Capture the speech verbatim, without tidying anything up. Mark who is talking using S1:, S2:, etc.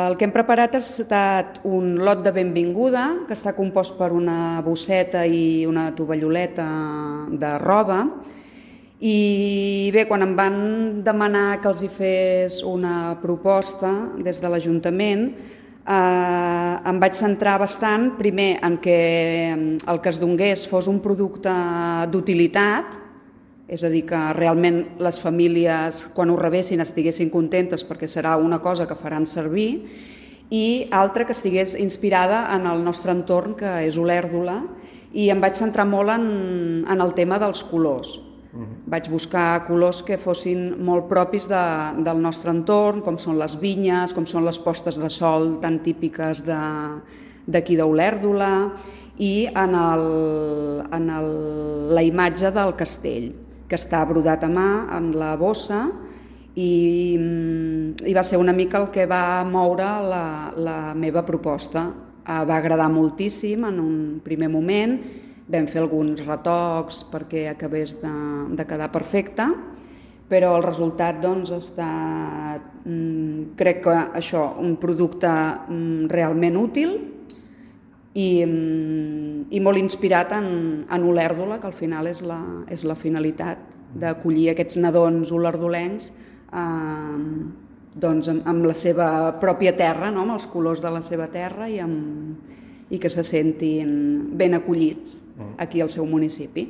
S1: El que hem preparat ha estat un lot de benvinguda, que està compost per una bosseta i una tovalloleta de roba. I bé, quan em van demanar que els hi fes una proposta des de l'Ajuntament, eh, em vaig centrar bastant, primer, en que el que es donés fos un producte d'utilitat, és a dir, que realment les famílies, quan ho rebessin, estiguessin contentes perquè serà una cosa que faran servir, i altra que estigués inspirada en el nostre entorn, que és Olèrdola, i em vaig centrar molt en, en el tema dels colors. Uh-huh. Vaig buscar colors que fossin molt propis de, del nostre entorn, com són les vinyes, com són les postes de sol tan típiques d'aquí d'Olèrdola, i en, el, en el, la imatge del castell, que està brodat a mà en la bossa, i, i va ser una mica el que va moure la, la meva proposta. Eh, va agradar moltíssim en un primer moment, vam fer alguns retocs perquè acabés de, de quedar perfecte, però el resultat doncs, ha estat, mm, crec que això, un producte mm, realment útil, I, i molt inspirat en, en Olèrdola, que al final és la, és la finalitat d'acollir aquests nadons olerdolencs eh, doncs amb, amb la seva pròpia terra, no? Amb els colors de la seva terra i, amb, i que se sentin ben acollits aquí al seu municipi.